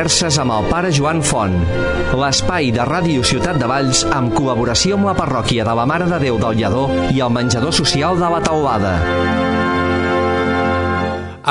Converses amb el pare Joan Font, l'espai de Ràdio Ciutat de Valls amb col·laboració amb la parròquia de la Mare de Déu del Lledó i el menjador social de la Teulada.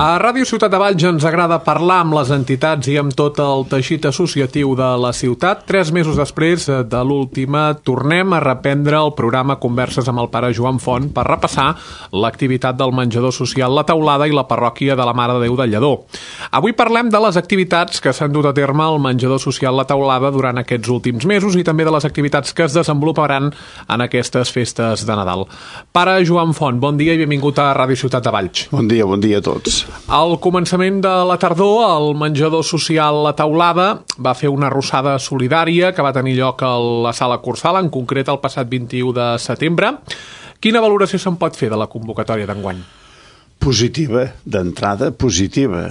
A Ràdio Ciutat de Valls ens agrada parlar amb les entitats i amb tot el teixit associatiu de la ciutat. 3 mesos després de l'última, tornem a reprendre el programa Converses amb el pare Joan Font per repassar l'activitat del menjador social La Teulada i la parròquia de la Mare de Déu del Lledó. Avui parlem de les activitats que s'han dut a terme al menjador social La Teulada durant aquests últims mesos i també de les activitats que es desenvoluparan en aquestes festes de Nadal. Pare Joan Font, bon dia i benvingut a Ràdio Ciutat de Valls. Bon dia a tots. Al començament de la tardor, el menjador social La Teulada va fer una arrossada solidària que va tenir lloc a la Sala Cursal, en concret el passat 21 de setembre. Quina valoració se'n pot fer de la convocatòria d'enguany? Positiva, d'entrada positiva.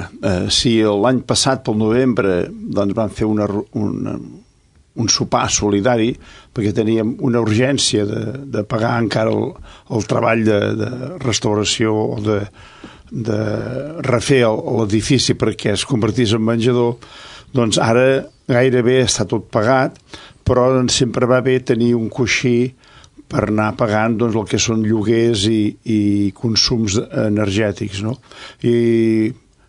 Si l'any passat, pel novembre, doncs van fer un sopar solidari perquè teníem una urgència de pagar encara el treball de restauració o de refer l'edifici perquè es convertís en menjador, doncs ara gairebé està tot pagat, però doncs sempre va bé tenir un coixí per anar pagant doncs, el que són lloguers i consums energètics, no? I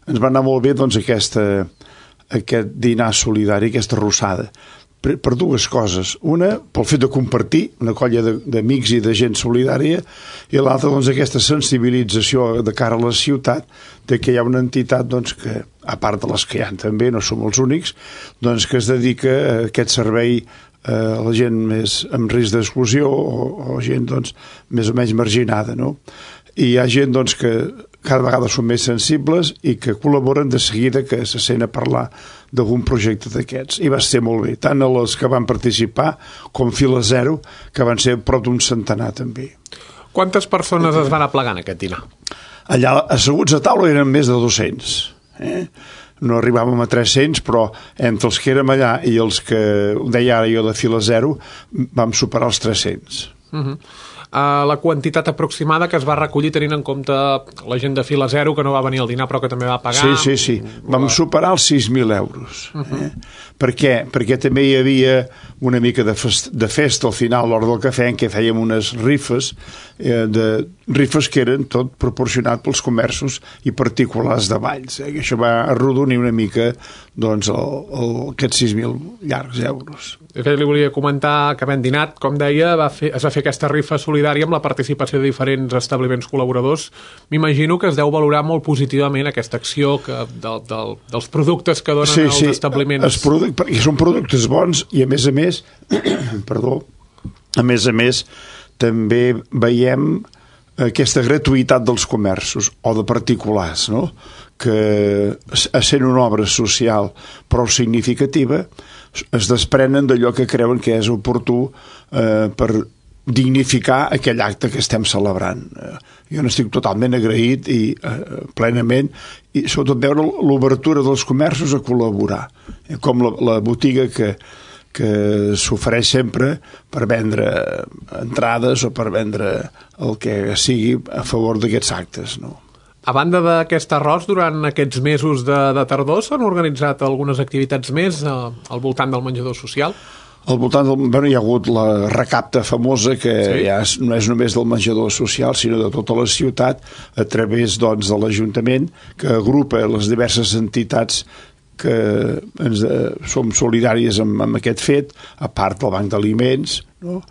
ens va anar molt bé doncs, aquest dinar solidari, aquesta arrossada, per dues coses. Una, pel fet de compartir una colla d'amics i de gent solidària, i l'altra, doncs, aquesta sensibilització de cara a la ciutat de que hi ha una entitat doncs, que, a part de les que hi ha també, no som els únics, doncs, que es dedica a aquest servei a la gent més amb risc d'exclusió o gent doncs, més o menys marginada, no? I hi ha gent doncs, que cada vegada són més sensibles i que col·laboren de seguida que se sent a parlar d'algun projecte d'aquests. I va ser molt bé, tant a les que van participar com Fila Zero, que van ser prop d'un centenar també. Quantes persones es van aplegar en aquest dinar? Allà asseguts a taula eren més de 200. No arribàvem a 300, però entre els que érem allà i els que deia ara jo de Fila Zero vam superar els 300. La quantitat aproximada que es va recollir tenint en compte la gent de Fila Zero que no va venir al dinar però que també va pagar. Sí. Vam superar els 6.000 euros. Per què? Perquè també hi havia una mica de festa al final a l'hora del cafè en què fèiem unes rifes que eren tot proporcionat pels comerços i particulars de Valls. Això va arrodonir una mica doncs, aquests 6.000 llargs euros. De fet, li volia comentar que havent dinat, com deia, es va fer aquesta rifa solidària amb la participació de diferents establiments col·laboradors. M'imagino que es deu valorar molt positivament aquesta acció dels productes que donen els establiments. Sí, perquè són productes bons i a més a més també veiem aquesta gratuïtat dels comerços o de particulars, no? Que sent una obra social prou significativa es desprenen d'allò que creuen que és oportú per dignificar aquell acte que estem celebrant. Jo n'estic totalment agraït i plenament, i sobretot veure l'obertura dels comerços a col·laborar, com la botiga que s'ofereix sempre per vendre entrades o per vendre el que sigui a favor d'aquests actes, no? A banda d'aquest arròs, durant aquests mesos de tardor s'han organitzat algunes activitats més al voltant del menjador social? Al voltant hi ha hagut la recapta famosa que ja no és només del menjador social sinó de tota la ciutat a través doncs, de l'Ajuntament que agrupa les diverses entitats que som solidàries amb aquest fet, a part del Banc d'Aliments, no?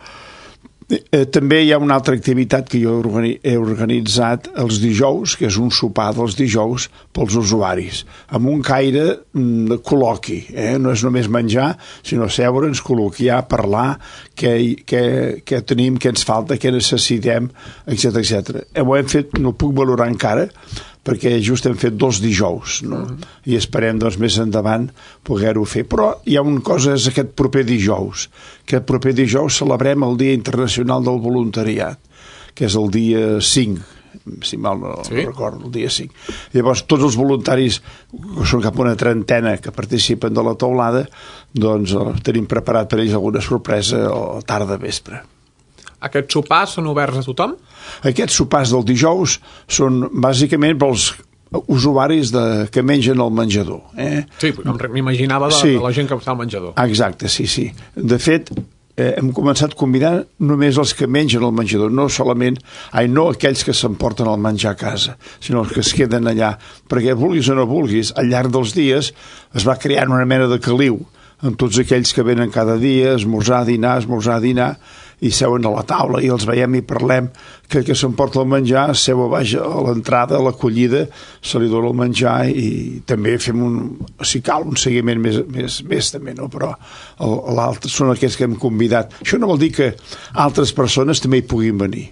També hi ha una altra activitat que jo he organitzat els dijous, que és un sopar dels dijous pels usuaris, amb un caire de col·loqui, no és només menjar, sinó seure'ns, col·loquiar, parlar, què tenim, què ens falta, què necessitem, etc. Ho hem fet, no ho puc valorar encara, perquè just hem fet 2 dijous, no? I esperem doncs, més endavant poder-ho fer. Però hi ha una cosa, és aquest proper dijous. Aquest proper dijous celebrem el Dia Internacional del Voluntariat, que és el dia 5, si mal no recordo, el dia 5. Llavors, tots els voluntaris, que són cap a una trentena que participen de la teulada, doncs tenim preparat per ells alguna sorpresa a tarda vespre. Aquests sopars són oberts a tothom? Aquests sopars del dijous són bàsicament pels usuaris que mengen al menjador. Sí, m'imaginava de la gent que està al menjador. Exacte, sí. De fet, hem començat a convidar només els que mengen al menjador, no aquells que s'emporten el menjar a casa, sinó els que es queden allà, perquè vulguis o no vulguis, al llarg dels dies es va creant una mena de caliu amb tots aquells que venen cada dia, esmorzar, dinar, i seuen a la taula i els veiem i parlem, que s'emporta el menjar, seu a baix a l'entrada, a l'acollida, se li dona el menjar i també fem si cal, un seguiment més també, no? Però l'altre són aquells que hem convidat. Això no vol dir que altres persones també hi puguin venir.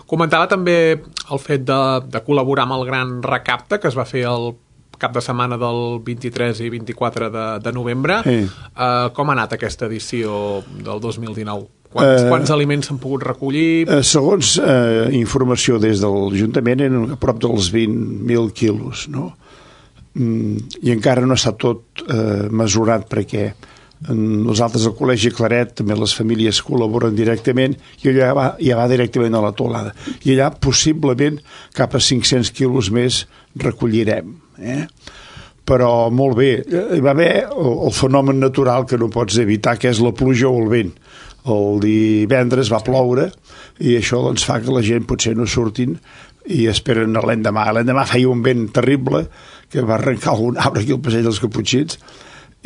Comentava també el fet de col·laborar amb el Gran Recapte, que es va fer el cap de setmana del 23 i 24 de novembre. Com ha anat aquesta edició del 2019? Quants aliments s'han pogut recollir? Segons informació des de l'Ajuntament, eren a prop dels 20.000 quilos, no? I encara no està tot mesurat perquè nosaltres al Col·legi Claret també les famílies col·laboren directament i allà va directament a la teulada. I allà possiblement cap a 500 quilos més recollirem. Però molt bé, hi va haver el fenomen natural que no pots evitar, que és la pluja o el vent. El divendres va ploure i això doncs fa que la gent potser no surtin i esperen l'endemà. L'endemà feia un vent terrible que va arrencar algun arbre aquí al passeig dels Caputxins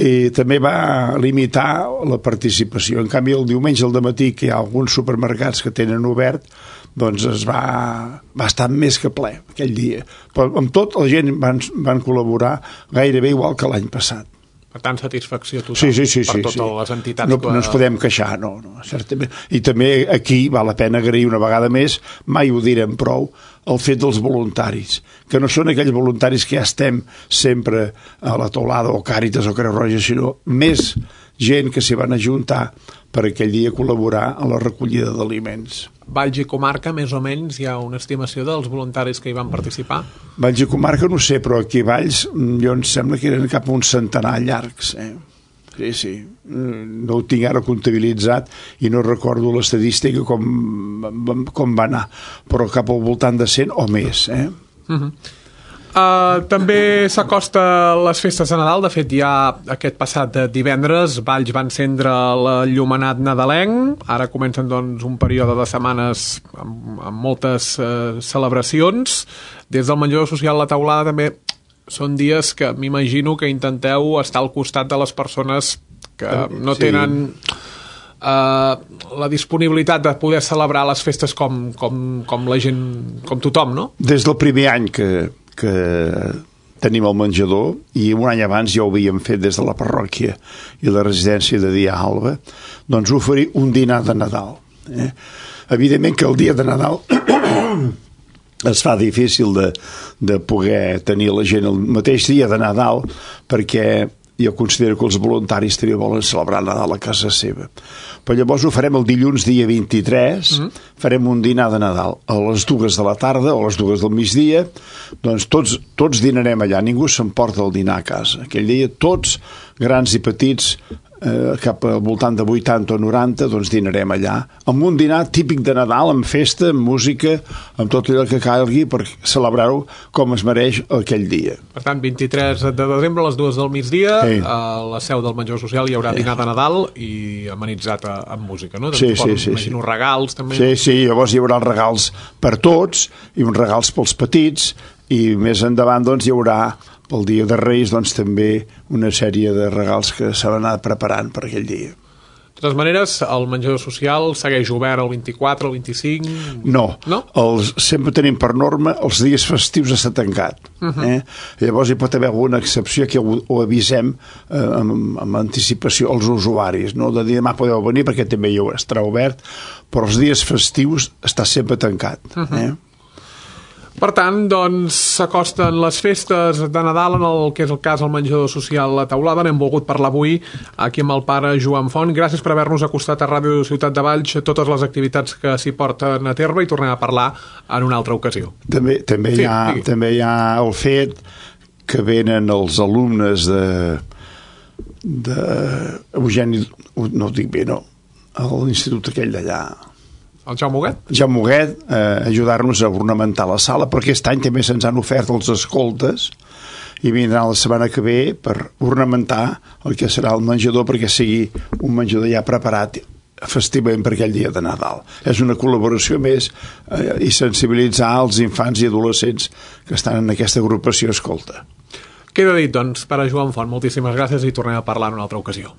i també va limitar la participació. En canvi, el diumenge al dematí, que hi ha alguns supermercats que tenen obert, doncs va estar més que ple aquell dia. Però amb tot, la gent van col·laborar gairebé igual que l'any passat. Per tant, satisfacció total per totes les entitats. No ens podem queixar, no, certament. I també aquí val la pena agrair una vegada més, mai ho direm prou, el fet dels voluntaris, que no són aquells voluntaris que ja estem sempre a la teulada o Càritas o Creu Roja, sinó més gent que s'hi van ajuntar per aquell dia col·laborar a la recollida d'aliments. Valls i comarca, més o menys, hi ha una estimació dels voluntaris que hi van participar? Valls i comarca no sé, però aquí a Valls jo em sembla que eren cap a un centenar llargs. Sí. No ho tinc ara comptabilitzat i no recordo l'estadística com va anar, però cap al voltant de 100 o més. També s'acosta les festes de Nadal. De fet, ja aquest passat divendres Valls va encendre l'enllumenat nadalenc. Ara comencen doncs un període de setmanes amb moltes celebracions. Des del menjador social La Teulada també són dies que m'imagino que intenteu estar al costat de les persones que no tenen la disponibilitat de poder celebrar les festes com la gent, com tothom, no? Des del primer any que tenim el menjador, i un any abans ja ho havíem fet des de la parròquia i la residència de Dia Alba, doncs oferir un dinar de Nadal. Evidentment que el dia de Nadal es fa difícil de poder tenir la gent el mateix dia de Nadal, perquè jo considero que els voluntaris també volen celebrar Nadal a casa seva. Però llavors ho farem el dilluns dia 23, farem un dinar de Nadal a les 2 de la tarda o a les 2 del migdia, doncs tots dinarem allà, ningú s'emporta el dinar a casa. Aquell dia tots, grans i petits, cap al voltant de 80 o 90, doncs dinarem allà, amb un dinar típic de Nadal, amb festa, amb música, amb tot allò que calgui per celebrar-ho com es mereix aquell dia. Per tant, 23 de desembre a les 2 del migdia, a la seu del menjador social hi haurà dinar de Nadal i amenitzat amb música, no? Sí. Imagino regals, també. Sí, llavors hi haurà regals per tots i uns regals pels petits, i més endavant doncs hi haurà pel dia de Reis doncs també una sèrie de regals que s'han anat preparant per aquell dia. De totes maneres, el menjador social segueix obert el 24, el 25... No? Sempre tenim per norma els dies festius està tancat. Llavors hi pot haver alguna excepció que ho avisem amb anticipació als usuaris, no? De dir demà podeu venir perquè també hi estarà obert, però els dies festius està sempre tancat. Per tant, doncs, s'acosten les festes de Nadal en el que és el cas del menjador social La Teulada. N'hem volgut parlar avui aquí amb el pare Joan Font. Gràcies per haver-nos acostat a Ràdio Ciutat de Valls totes les activitats que s'hi porten a terme i tornem a parlar en una altra ocasió. També hi ha el fet que venen els alumnes de Eugeni, no ho dic bé, no? A l'institut aquell d'allà, El Jaume Huguet? Jaume Huguet, ajudar-nos a ornamentar la sala, perquè aquest any també se'ns han ofert els escoltes i vindran la setmana que ve per ornamentar el que serà el menjador, perquè sigui un menjador ja preparat festivament per aquell dia de Nadal. És una col·laboració més i sensibilitzar els infants i adolescents que estan en aquesta agrupació Escolta. Queda dit, doncs, per a Joan Font. Moltíssimes gràcies i tornem a parlar en una altra ocasió.